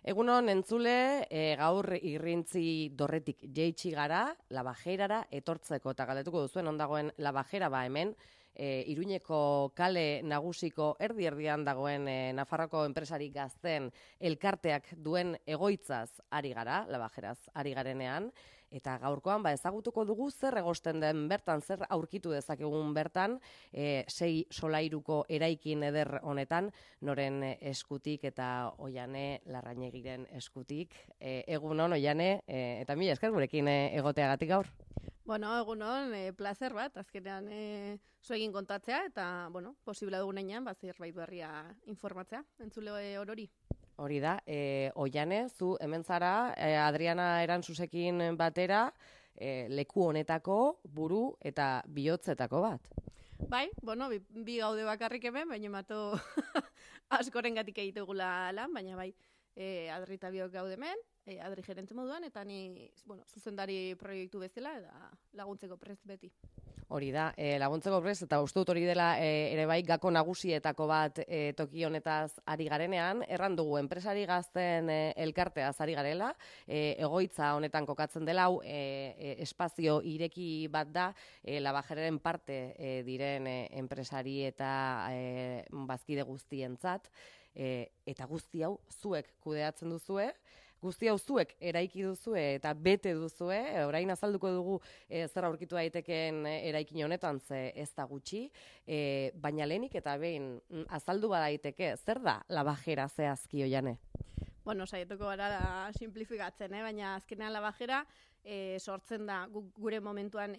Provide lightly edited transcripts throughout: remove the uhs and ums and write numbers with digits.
Egunon entzule, gaur irrintzi dorretik jeitsi gara, Labajerara etortzeko, eta galdetuko duzuen ondagoen Labajera hemen, Iruñeko kale nagusiko erdi-erdian dagoen Nafarroko enpresari gazten elkarteak duen egoitzaz ari gara, Labajeraz ari garenean, eta gaurkoan ezagutuko dugu zer egosten den bertan, zer aurkitu dezakegun bertan, 6 solairuko eraikin eder honetan, noren eskutik eta Oiane Larrañegiren eskutik. Egunon, Oiane, eta mila esker gurekin egoteagatik gaur. Bueno, egunon, placer bat, azkenean zuegin kontatzea, eta, bueno, posible dugunean, zerbait berria informatzea, entzule orori. Hori da, Oiane, zu hemen zara, Adriana Erantzusekin batera, leku honetako buru eta bihotzetako bat. Bai, bueno, bi gaude bakarrik hemen, baina mato askorengatik egitugula lan, baina bai, Adri eta biok gaude hemen, Adri gerente moduan, eta ni, bueno, zuzendari proiektu bezala, eta laguntzeko prest beti. Hori da, laguntzeko prest, eta uste dut hori dela ere bai gako nagusietako bat toki honetaz ari garenean, erran dugu enpresari gazten elkarteaz ari garela, egoitza honetan kokatzen dela, espazio ireki bat da, Labajeraren parte diren enpresari eta bazkide guztientzat, eta guzti hau zuek kudeatzen duzue, guzti hau zuek eraiki duzue eta bete duzue, orain azalduko dugu zer aurkitu daiteken eraikin honetan, ze ez da gutxi, baina lehenik eta behin azaldu badaiteke, zer da Labajera zehazki, Oiane? Bueno, saietuko gara simplifikatzen, baina azkenean Labajera sortzen da gure momentuan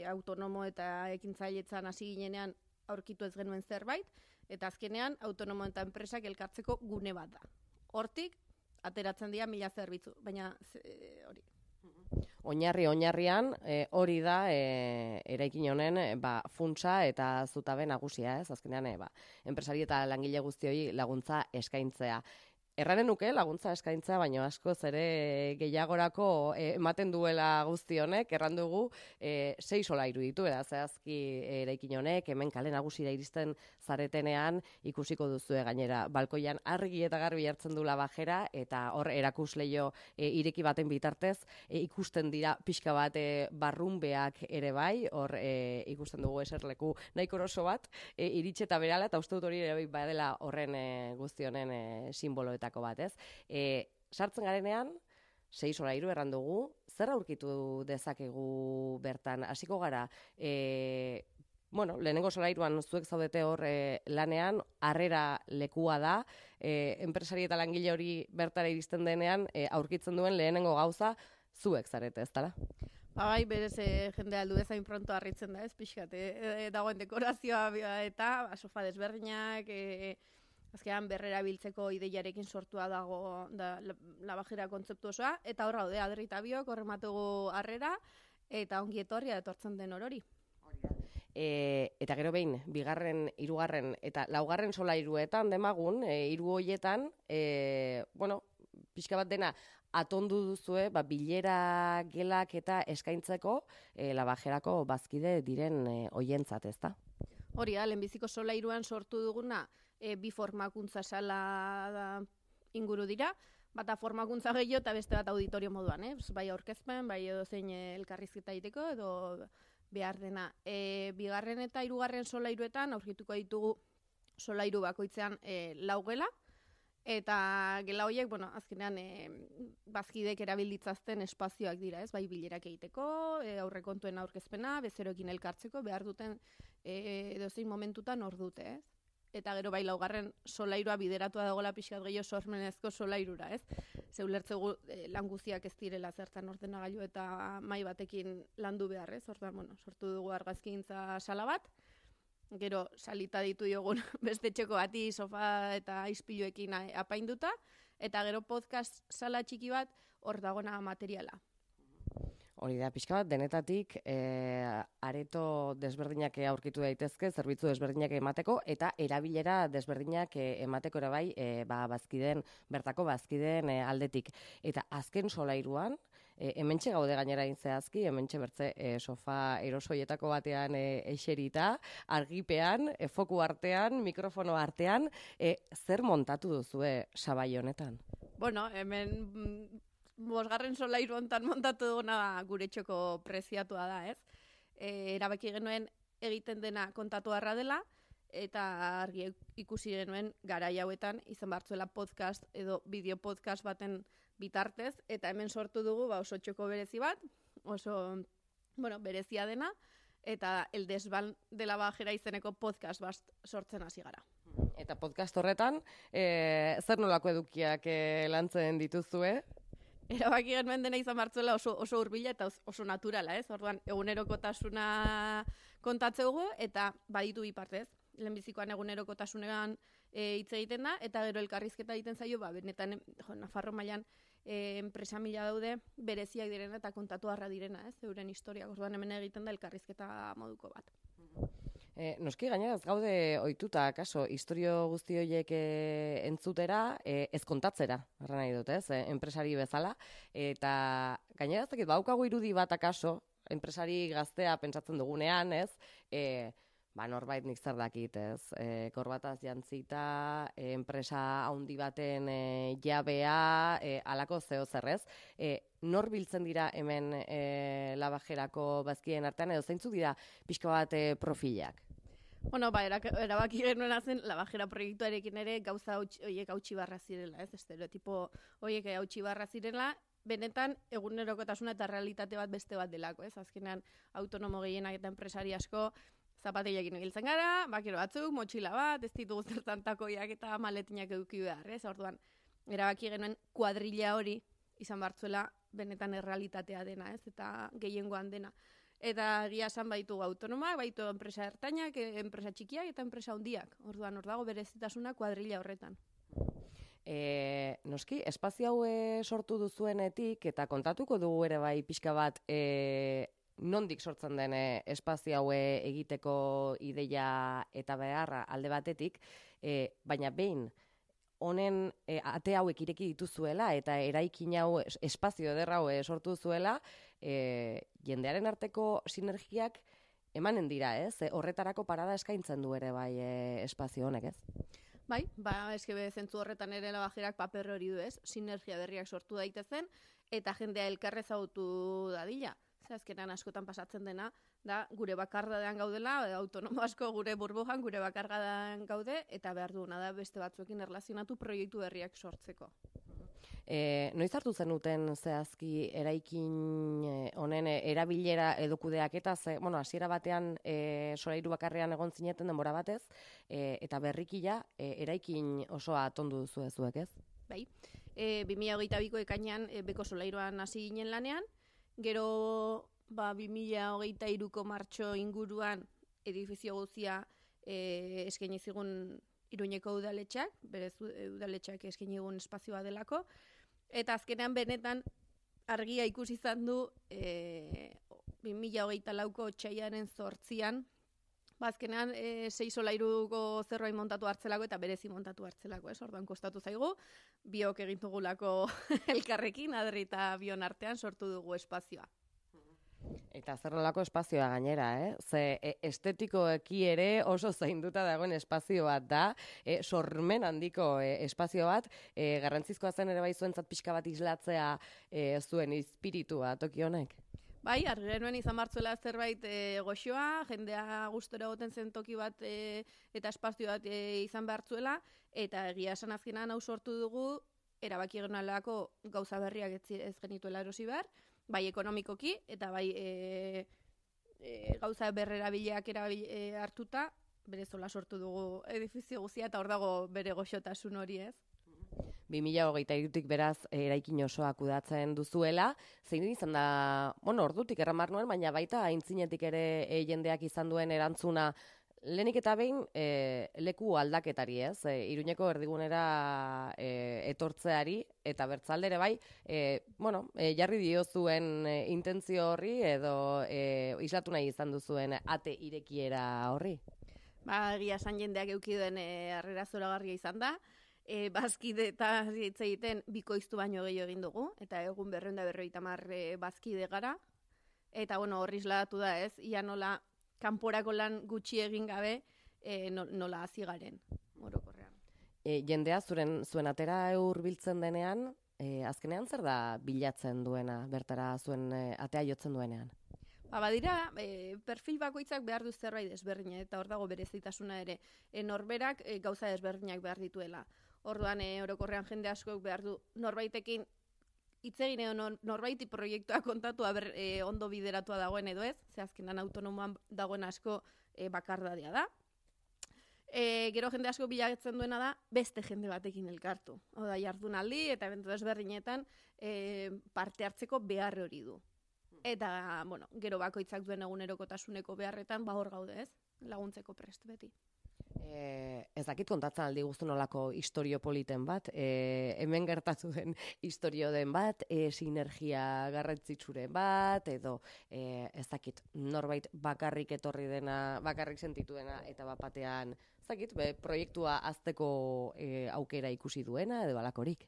autonomo eta ekintzailetzan hasi ginenean aurkitu ez genuen zerbait, eta azkenean autonomo eta enpresak elkartzeko gune bat da. Hortik, ateratzen dira 1000 zerbitzu, baina hori. Oinarrian hori da eraikin honen funtsa eta zutabe nagusia, ez? Azkenean enpresari eta langile guztioi laguntza eskaintzea. Erranen nuke laguntza eskaintza, baina askoz ere gehiagorako ematen duela guzti honek, erran dugu 6 solairu ditu, zehazki eraikin honek, hemen kale nagusira iristen zaretenean ikusiko duzue gainera. Balkoian argi eta garbi hartzen du Labajera, eta hor erakusleio ireki baten bitartez, ikusten dira pixka bat barrunbeak ere bai, hor ikusten dugu eserleku nahiko oso bat, iritsi eta berala, eta uste dut hori ere bai badela horren guzti honen simboloetako bat, ez? Sartzen garenean, 6 solairu erran dugu, zer aurkitu dezakegu bertan? Hasiko gara, bueno, lehenengo solairuan zuek zaudete hor lanean, harrera lekua da, enpresari eta langile hori bertara iristen denean, aurkitzen duen lehenengo gauza zuek zarete, ez dara? Bai, berez jende aldu ezain pronto harritzen da, ez pixkat, dagoen dekorazioa eta sofa desberdinak, azkenean berrera biltzeko ideiarekin sortua dago Labajera kontzeptu osoa, eta hor gaude Adri eta biok horrematugu harrera, eta ongi etorria etortzen den orori. Eta gero behin, 2., 3. eta 4. solairuetan demagun, 3 hoietan, bueno, pixka bat dena atondu duzue, bilera gelak eta eskaintzeko Labajerako bazkide diren hoientzat, ezta? Hori da, lehenbiziko solairuan sortu duguna, bi formakuntza sala inguru dira, bata formakuntza gehiago eta beste bat auditorio moduan, bai aurkezpen, bai edozein elkarrizketa egiteko edo behar dena. 2. eta 3. solairuetan aurkituko ditugu solairu bakoitzean 4 gela, eta gela horiek, bueno, azkenean bazkidek erabilditzazten espazioak dira, ez? Bai bilerak egiteko, aurrekontuen aurkezpena, bezeroekin elkartzeko, behar duten edozein momentutan hor dute, ez? Eta gero bai 4. solairua bideratua dagoela pixkat gehiago sormenezko solairura, ez? Ze ulertzegu lan guztiak ez direla zertan ordenagailu eta mai batekin landu behar, ez? Orduan, bueno, sortu dugu argazkintza sala bat, gero salita ditu jogun beste txeko bati sofa eta ispiluekin apainduta, eta gero podcast sala txiki bat hor dagona materiala. Hori da, pixka bat, denetatik areto desberdinak aurkitu daitezke, zerbitzu desberdinak emateko, eta erabilera desberdinak emateko ere bai, bertako bazkideen aldetik. Eta azken solairuan, Hementxe gaude gainera zehazki, hementxe bertze sofa erosoietako batean eserita, argipean, foku artean, mikrofono artean, zer montatu duzue sabai honetan? Bueno, hemen bosgarren solairu hontan montatu duguna gure txoko preziatua da, ez? Erabaki genuen egiten dena kontatu harra dela, eta argi ikusi genuen garai hauetan izan bartzuela podcast edo bideo podcast baten bitartez, eta hemen sortu dugu oso txoko berezi bat, oso berezia dena, eta El Desván de la Bajera izeneko podcast bat sortzen hasi gara. Eta podcast horretan, zer nolako edukiak lantzen dituzue? Erabaki genuen dena izan bartzuela oso hurbila eta oso naturala, ez? Orduan, egunerokotasuna kontatzeugu eta baditu bi partez. Lehenbizikoan egunerokotasunean hitz egiten da, eta gero elkarrizketa egiten zaio, benetan Nafarro mailan enpresa mila daude bereziak direna eta kontatu harra direna, ez? Euren historiak, orduan hemen egiten da elkarrizketa moduko bat. Noski gainera ez gaude ohituta, kaso, historio guzti horiek entzutera, ez kontatzera, arra nahi dut, ez? Enpresari bezala, eta gainera ez dakit, baukagu irudi bat akaso, enpresari gaztea pentsatzen dugunean, ez? Norbait nik zer dakit, ez? Korbataz jantzita, enpresa handi baten jabea, alako zeo zerrez. Nor biltzen dira hemen Labajerako bazkien artean, edo zeintzuk dira pixka bat profilak? Erabaki genuen zen Labajera proiektuarekin ere gauza horiek hautsi barra zirela, ez? Estereotipo horiek hautsi barra zirela, benetan egunerokotasuna eta realitate bat beste bat delako, ez? Azkenean autonomo gehienak eta enpresari asko zapatilekin egiltzen gara, bakero batzuk, motxila bat, ez ditugu zertan takoiak eta maletinak eduki behar, ez? Orduan, erabaki genuen kuadrilla hori izan bartzuela benetan errealitatea dena, ez? Eta gehiengoan dena. Eta egia esan baitu autonomak, baitu enpresa ertainak, enpresa txikiak eta enpresa handiak. Orduan, hor dago berezitasuna kuadrilla horretan. Noski, espazio hau sortu duzuenetik, eta kontatuko dugu ere bai pixka bat nondik sortzen den espazio hau egiteko ideia eta beharra alde batetik, baina behin honen ate hauek ireki dituzuela eta eraikin hau espazio ederra hau sortu duzuela, jendearen arteko sinergiak emanen dira, ez? Horretarako parada eskaintzen du ere bai espazio honek, ez? Bai, eske zentzu horretan ere Labajerak paper hori du, ez? Sinergia berriak sortu daitezen eta jendea elkarrez ezagutu dadila. Azkenan askotan pasatzen dena, da gure bakardadean gaudela, autonomo asko gure burbujan gure bakardadean gaude, eta behar duena da beste batzuekin erlazionatu proiektu berriak sortzeko. Noiz hartu zenuten zehazki eraikin honen erabilera edukudeak eta hasiera batean solairu bakarrean egon zineten denbora batez, eta berrikila eraikin osoa tondu duzu ezuek, ez? Bai, 2022ko ekainean beko solairuan hasi ginen lanean, gero 2023ko martxo inguruan edifizio guztia eskaini zigun Iruñeko udaletxak, berez udaletxak eskaini egun espazioa delako, eta azkenean benetan argia ikusi izan du 2024ko otsailaren 8an, azkenean 6 solairuko zerbait montatu hartzelako eta berezi montatu hartzelako, ez? Orduan kostatu zaigu, biok egin dugulako elkarrekin, Adri eta bion artean sortu dugu espazioa. Eta zer nolako espazioa gainera, Ze estetikoeki ere oso zainduta dagoen espazio bat da, sormen handiko espazio bat, garrantzizkoa zen ere bai zuentzat pixka bat islatzea zuen espiritua toki honek? Bai, argi genuen izan martzuela zerbait goxoa, jendea gustora egoten zen toki bat eta espazio bat izan behartzuela, eta egia esan azkenan hau sortu dugu, erabaki genuen gauza berriak ez genituela erosi behar, bai ekonomikoki, eta bai gauza berrerabileak hartuta, berezola sortu dugu edifizio guztia, eta hor dago bere goxotasun hori, ez? 2023tik beraz eraikin osoa kudeatzen duzuela, zein izan da, ordutik erramar nuen, baina baita aintzinetik ere jendeak izan duen erantzuna, lehenik eta behin leku aldaketari, ez? Iruñeko erdigunera etortzeari, eta bertzaldere bai, jarri diozuen intentzio horri, edo islatu nahi izan duzuen ate irekiera horri? Egia esan jendeak eukiduen harrera zoragarria izan da, bazkide eta hitz egiten bikoiztu baino gehiago egin dugu, eta egun 250 bazkide gara, eta bueno, horri isladatu da ez, ia nola kanporako lan gutxi egin gabe nola hasi garen, orokorrean. Jendea zuen atera hurbiltzen denean, azkenean zer da bilatzen duena, bertara zuen atea jotzen duenean? Badira, perfil bakoitzak behar du zerbait desberdina, eta hor dago berezitasuna ere. Norberak gauza desberdinak behar dituela. Orduan, orokorrean jende askok behar du norbaitekin hitz egin edo norbaiti proiektua kontatu ondo bideratua dagoen edo ez, ze azkenan autonomoan dagoen asko bakardadea da. Gero jende asko bilatzen duena da beste jende batekin elkartu. Oda, jardunaldi eta ebentu desberdinetan parte hartzeko behar hori du. Eta, bueno, gero bakoitzak duen egunerokotasuneko beharretan, hor gaude ez, laguntzeko prest beti. Ez dakit kontatzen aldi guztu nolako istorio politen bat, hemen gertatu den istorio den bat, sinergia garrantzitsuren bat, edo ez dakit norbait bakarrik etorri dena, bakarrik sentituena, eta bapatean, ez dakit, proiektua azteko aukera ikusi duena, edo alakorik.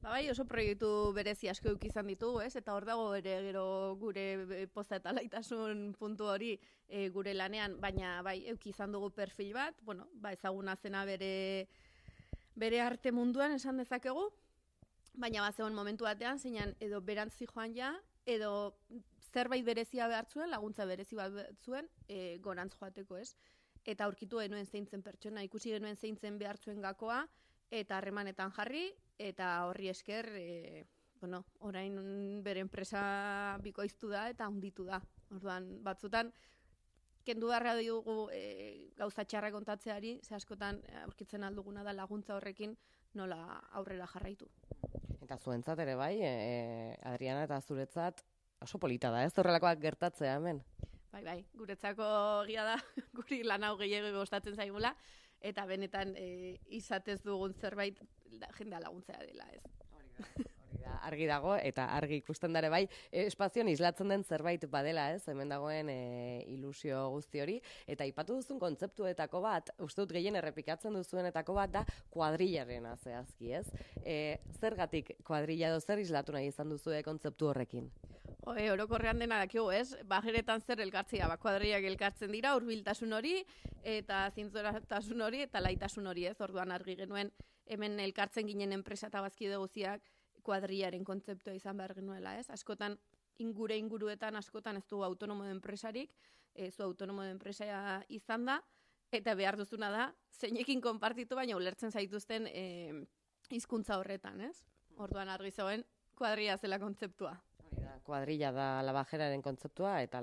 Bai, oso proiektu berezi asko eduki izan ditugu, ez? Eta hor dago ere gero gure poza eta laitasun puntu hori gure lanean, baina bai, eduki izan dugu perfil bat, bueno, ezaguna zena bere arte munduan esan dezakegu, baina zegoen momentu batean, zeinan edo berantzi joan ja, edo zerbait berezia behar zuen, laguntza berezi bat zuen, gorantz joateko, ez? Eta aurkitu genuen zeintzen pertsona, ikusi genuen zeintzen behar zuen gakoa, eta harremanetan jarri, eta horri esker, orain bere enpresa bikoiztu da eta handitu da. Orduan, batzutan, kendu beharra dugu gauza txarra kontatzeari, ze askotan aurkitzen alduguna da laguntza horrekin nola aurrera jarraitu. Eta zuentzat ere bai, Adriana eta zuretzat oso polita da, ez horrelakoak gertatzea hemen? Bai, guretzako egia da, guri lan hau gehiago gustatzen zaigula, eta benetan izatez dugun zerbait jendea laguntzea dela, ez. Hori da, argi dago, eta argi ikusten dare bai, espazioan islatzen den zerbait badela, ez, hemen dagoen ilusio guzti hori, eta aipatu duzun kontzeptuetako bat, uste dut gehien errepikatzen duzuenetako bat da kuadrillarena zehazki, ez? Zergatik kuadrilla edo zer islatu nahi izan duzue kontzeptu horrekin? Orokorrean dena dakigu, ez? Bajeretan zer elkartzea, kuadrillak elkartzen dira, hurbiltasun hori, eta zintzotasun hori, eta laitasun hori, ez? Orduan argi genuen, hemen elkartzen ginen enpresa eta bazkide guztiak kuadrillaren kontzeptua izan behar genuela, ez? Askotan, inguruetan askotan ez du autonomo de enpresarik, zu autonomo de enpresa izan da, eta behar duzuna da, zeinekin konpartitu, baina ulertzen zaituzten hizkuntza horretan, ez? Orduan argi zegoen, kuadrilla zela kontzeptua. Kuadrilla da lavajeraren kontzeptua, eta